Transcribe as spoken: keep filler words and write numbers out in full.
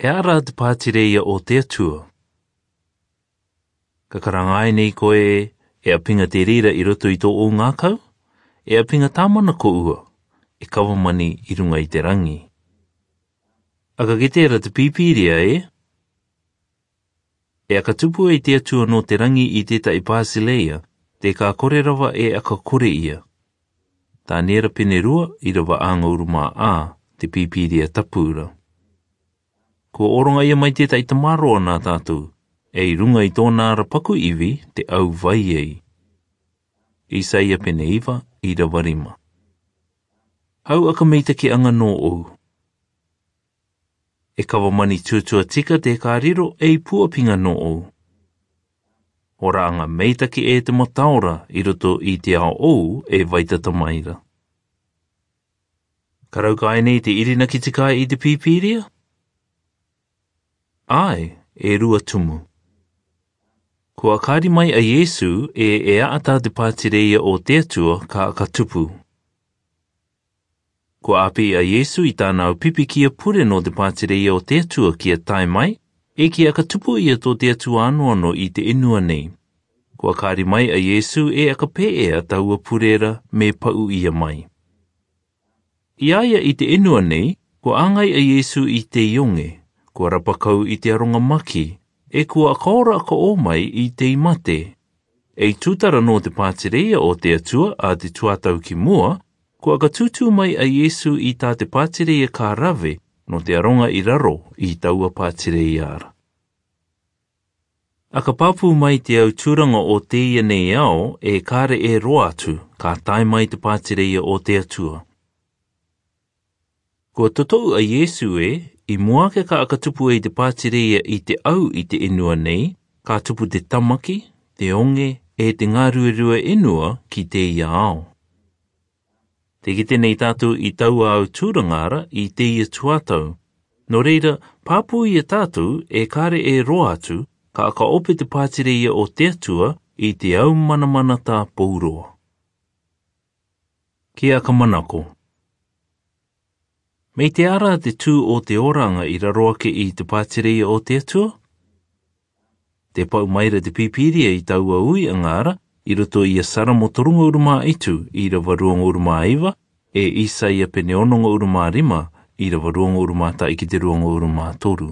E ara te pātireia o te Atua. Ka karangai nei koe e a pinga te rira i roto i tō o ngākau, e a pinga tāmana ko ua, e kawamani i runga i te rangi. Aka ki tērā te pīpīria e? E aka tupu e te Atua no te rangi i tēta i pāsileia, te kā kore rawa e aka kore ia. Tā nera pene rua i rawa ānga urumā a te pīpīria tapura. Kua oronga ia mai tēta i te maroa nā tātou, e i runga i tōna ara paku iwi te au vai ei. Isaia pene iwa i rawa rima. Hau aka meita ki anga nō ou. E kawa mani tutua tika te kā riro e i puapinga nō ou. Ora anga meita ki e te mataora i roto i te ao ou e waitata maira. Karauka ai nei te irina ki te kai i te pīpīria? Ai, e rua tumu. Kua kāri mai a Yesu e e aata te pātireia o te Atua ka ka tupu. Kua api a Yesu i tāna au pipi ki a pure no te pātireia o te Atua ki a tae mai, e ki a ka tupu ia tō te Atua anō anō i te enua nei. Kua kāri mai a Yesu e aka pēea taua purera me pau ia mai. I aia i te enua nei, kua āngai a Yesu i te ionge, kua rapakau i te aronga maki, e kua akaora ka o mai i te imate. E tūtara no te pātireia o te Atua a te tuatau ki mua, kua ka tūtū mai a Yesu i tā te pātireia kā rawe no te aronga i raro i taua pātireia ara. A ka pāpū mai te au tūranga o te ia nei ao e kāre e roa atu ka tae mai te pātireia o te Atua. Kua totou a Yesu e, i mua ke ka akatupu e te pātireia i te au i te enua nei, ka tupu te tamaki, te onge, e te ngāruerua enua ki te ia ao. Te kite nei tātou i taua au tūrangara i te ia tuatau. Nō reira, pāpū ia tātou e kāre e roa atu, ka akaope te pātireia o te Atua i te au manamana tā pouroa. Ki a kamanako. Mei te ara te tū o te oranga i raro ake i te pātireia o te Atua? Te pau maira te pīpīria i taua ui angara i roto i a Saramo torunga urumā itu i rawa ruanga urumā iwa e Isaia pene ononga urumā rima i rawa ruanga urumā ta i ki te ruanga urumā toru.